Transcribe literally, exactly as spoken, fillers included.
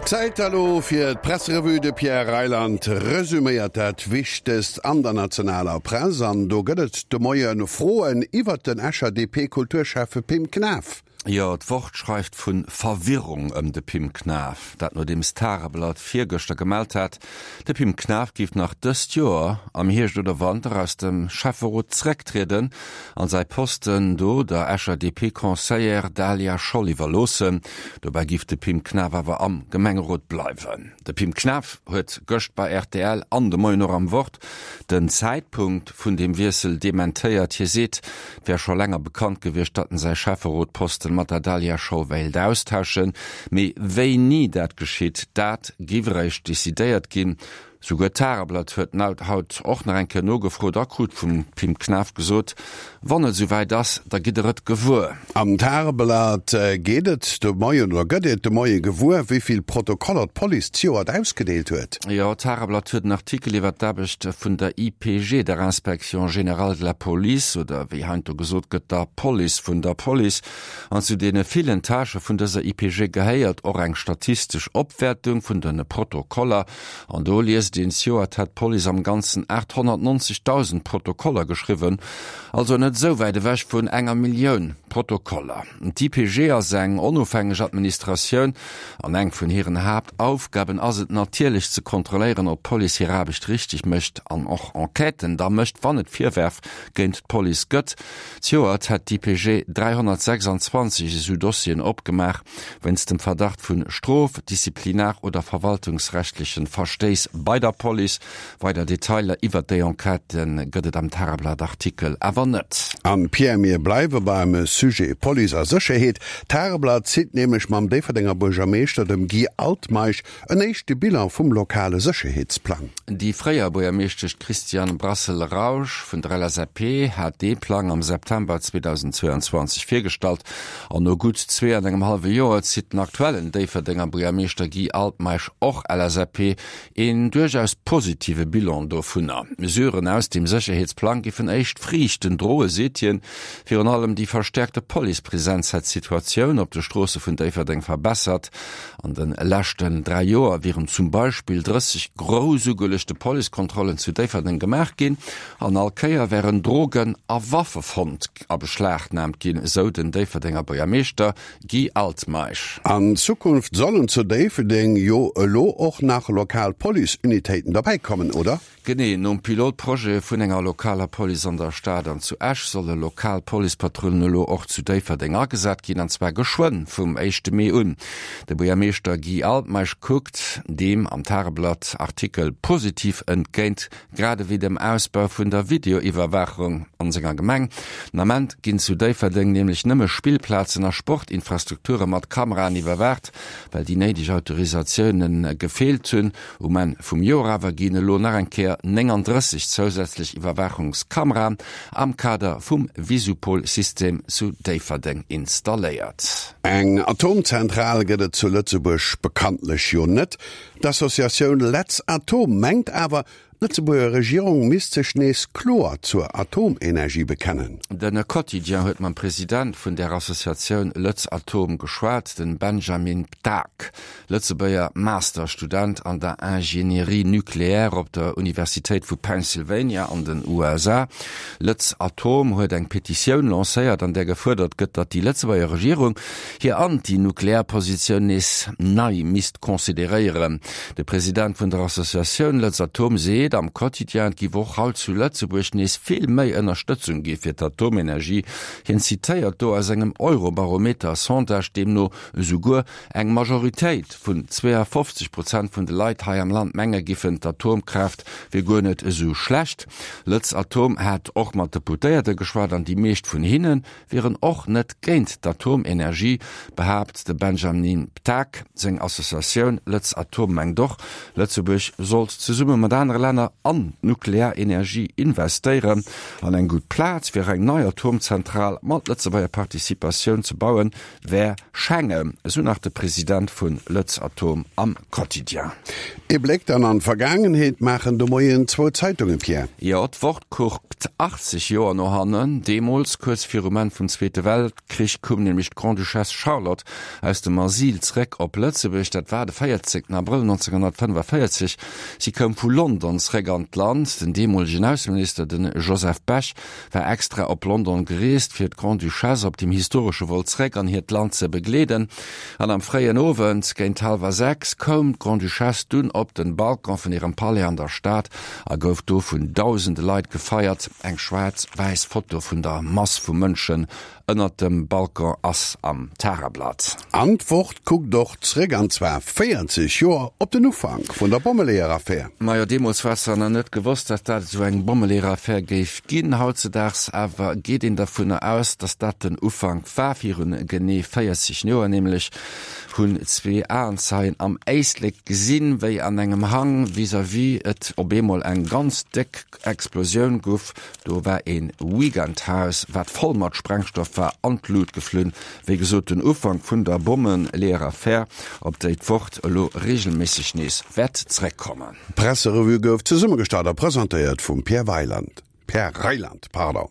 Zäit elo fir d'Presserevue. De Pierre Reyland resuméiert dat Wichtegst an der nationaler Press an do gëtt et de Moie Froen iwwert den Escher D P-Kulturschäffe Pim Knaff. Jo, d'Wort schreift vu Verwirrung ëm de Pim Knaff. Dat nodeems d'Tageblatt virgëschter gemellt hat, de Pim Knaff géif nach dëst Joer am Hierscht oder Wanter aus dem Schäfferot zrécktrieden an säi Posten do der Escher D P-Conseillère Daliah Scholl iwwerloossen. Dobäi géif de Pim Knaff awer am Gemengerot bleiwen. De Pim Knaff huet gëscht bei R T L an de Moien och am Wort den Zäitpunkt vun dem Wiessel dementéiert. Hie seet, et wär scho länger bekannt gewiescht, datt en säi Schäfferotposten mat der Daliah Scholl wéilt austauschen, mee wéini dat geschitt, dat géif eréischt decidéiert ginn. Souguer d'Tageblatt huet haut och nach eng Kéier nogefrot a krut vum Pim Knaff gesot, wann et souwäit ass, da gitt der et gewuer. Am Tageblatt geet et de Moien oder gëtt et de Moie gewuer, wéi vill Protokoller d'Police zejoert ausgedeelt huet. Jo, d'Tageblatt huet en Artikel iwwer d'Aarbecht vun der I P G, der Inspection Générale de la Police, oder wéi heiansdo gesot gëtt, der Police vun der Police. An zu deene villen Tâchë vun dëser I P G gehéiert och eng statistesch Opwäertung vun de Protokoller. An do liest een, zejoert hätt d'Police am Ganzen aathonnertnonzegdausend Protokoller geschriwwen, also net esou wäit ewech vun enger Millioun Protokoller. D'I P G ass eng onofhängeg Administratioun an eng vun hiren Haaptaufgaben ass et natierlech ze kontrolléieren, ob d'Police hir Aarbecht richteg mécht an och Enquêten da mécht, wann et Virwërf géint d'Police gëtt. Zejoert hätt d'I P G dräihonnertsechsanzwanzeg esou Dossieren opgemaach, wéinst dem Verdacht vu Strof-, Disziplinar oder verwaltungsrechtleche Verstéiss bei der Police. Weider Detailer iwwer déi Enquêtë gëtt et am Tageblatt-Artikel awer net. An Pierre, mir bleiwe beim Sujet Police a Sécherheet. D'Tageblatt zitt nämlech mam Déifferdenger Buergermeeschter, dem Guy Altmeisch, en éischte Bilan vum lokale Sécherheetsplang. Déi fréier Buergermeeschtesch Christiane Brassel-Rausch vun der L S A P hat dee Plang am September zweedausendzweianzwanzeg virgestallt an no gutt zwee an engem hallwe Joer zitt den aktuellen Déifferdenger Buergermeeschter Guy Altmeisch, och L S A P, een duerchaus positive Bilan dovunner. Mesuren aus dem Sécherheetsplang géifen éischt Friichten droe, seet hien. Virun allem déi verstäerkte Policepresenz hätt d'Situatioun op de Stroosse vun Déifferdeng verbessert. An de leschten dräi Joer wieren zum Beispill drësseg grouss ugeluechte Policekontrollen zu Déifferdeng gemaach ginn an all Kéier wären Drogen a Waffe fonnt a beschlagnaamt ginn, esou den Déifferdenger Buergermeeschter Guy Altmeisch. An Zukunft sollen zu Déifferdeng jo elo och nach lokal Policeunitéiten derbäikommen, oder? Genee, nom Pilotprojet vun enger lokaler Police an der Stad an zu Esch solle lokal Policepatrullen elo och zu Déifferdeng agesat ginn, an zwar geschwënn vum éischte Mee un. De Buergermeeschter Guy Altmeisch kuckt deem am Tageblatt Artikel positiv entgéint, grad ewéi dem Ausbau vun der Videoiwwerwaachung an senger Gemeng. Den Ament ginn zu Déifferdeng nämlech nëmme Spillplazen a Sportinfrastrukture mat Kameraen iwwerwaacht, well déi néideg Autorisatioune gefeelt hunn. Um Enn vum Joer awer ginn elo nach eng Kéier nénganddrësseg zousätzlech Iwwerwaachungskameraen am Kader vum Visupol-System zu Déifferdeng installéiert. Eng Atomzentral gëtt et zu Lëtzebuerg bekanntlech jo net. D'Associatioun LetzAtom mengt awer, d'Lëtzebuerger Regierung misst sech nees kloer zur Atomenergie bekennen. De Quotidien huet mam President vun der Associatioun LetzAtom geschwat, den Benjamin Ptak, Lëtzebuerger Masterstudent an der Ingénierie nucléaire op der Universitéit vu Pennsylvania an den U S A. LetzAtom huet eng Petitioun lancéiert, an där gefuerdert gëtt, datt déi Lëtzebuerger Regierung hir Antinuklearpositioun nees nei misst consideréieren. De President vun der Associatioun LetzAtom seet am Quotidien, et géif och haut zu Lëtzebuerg nees vill méi Ënnerstëtzung gi fir d'Atomenergie. Hien zitéiert do aus engem Eurobarometer-Sondage, deemno esouguer eng Majoritéit vun zweeafofzeg Prozent vun de Leit hei am Land menge géifen, d'Atomkraaft wier guer net esou schlecht. LetzAtom hat och mat Deputéierte geschwat an déi meescht vun hinne wieren och net géint d'Atomenergie, behaapt de Benjamin Ptak. Seng Associatioun LetzAtom mengt och, Lëtzebuerg sollt zesumme mat anere Länner Länner an d'Nuklearenergie investéieren. An eng gutt Plaz fir eng nei Atomzentral mat Lëtzebuerger Participatioun ze bauen, wär Schengen, esou nach de President vu Lëtzatom am Quotidien. Ee Bléck dann an d'Vergaangenheet maachen de Moien zwou Zeitungen, Pierre. Jo, d'Wort kuckt achtzeg Joer no hannen. Deemools, kuerz virum Enn vum Zweete Weltkrich, koum nämlech d'Grande-Duchesse Charlotte aus dem Asyl zréck op Lëtzebuerg. Dat war de véierzéngten Abrëll neunzehnhundertfënnefenvéierzeg. Si koum vu London zréck an d'Land. Den deemolegen Ausseminister, de Joseph Bech, war extra op London gereest, fir d'Grande-Duchesse op dem historesche Vol zréck an hiert Land ze begleeden. An am fréien Owend, géint hallwer sechs, koum d'Grande-Duchesse dunn op den Balcon vun hirem Palais an der Stad a gouf do vun dausende Leit gefeiert. Eng schwaarz-wäiss Foto vun der Mass vu Mënschen ënnert dem Balcon ass am Tageblatt. An d'Wort kuckt och zréck, an zwar véierzeg Joer op den Ufank vun der Bommeleeër-Affär. Majo, deemools war zwar nach net gewosst, datt dat esou eng Bommeleeër-Affär géif ginn. Hautzedaags awer geet een dervunner aus, datt dat den Ufank war. Virun genee véierzeg Joer nämlech hunn zwee Aenzeien am Éislek gesinn, wéi an engem Hang vis-à-vis et op eemol eng ganz déck Explosioun guff. Do war ee Weekendhaus, wat voll mat Sprengstoff war, an d'Lut geflunn. Wéi gesot, den Ufank vun der Bommeleeër-Affär, op déi d'Wort elo reegelméisseg nees wäert zréckkommen. D'Presserevue gouf zesummegestallt a presentéiert vum Pierre Weiland, Pierre Reyland, pardon.